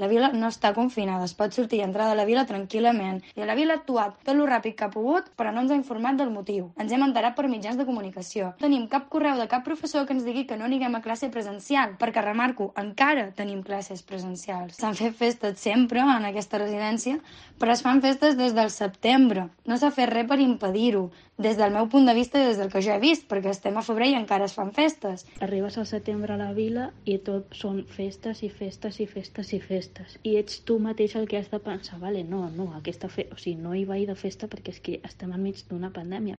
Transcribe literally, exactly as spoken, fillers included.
La vila no està confinada, es pot sortir i entrar de la vila tranquil·lament. I la vila ha actuat tot lo ràpid que ha pogut, però no ens ha informat del motiu. Ens hem enterat per mitjans de comunicació. No tenim cap correu de cap professor que ens digui que no anirem a classe presencial, perquè, remarco, encara tenim classes presencials. S'han fet festes sempre en aquesta residència, però es fan festes des del setembre. No s'ha fet res per impedir-ho, des del meu punt de vista i des del que jo he vist, perquè estem a febrer i encara es fan festes. Arribes al setembre a la vila i tot són festes i festes i festes i festes. I ets tu mateix el que has de pensar, vale, no, no, aquesta fe... o sigui, no hi vaig de festa perquè és que estem enmig d'una pandèmia.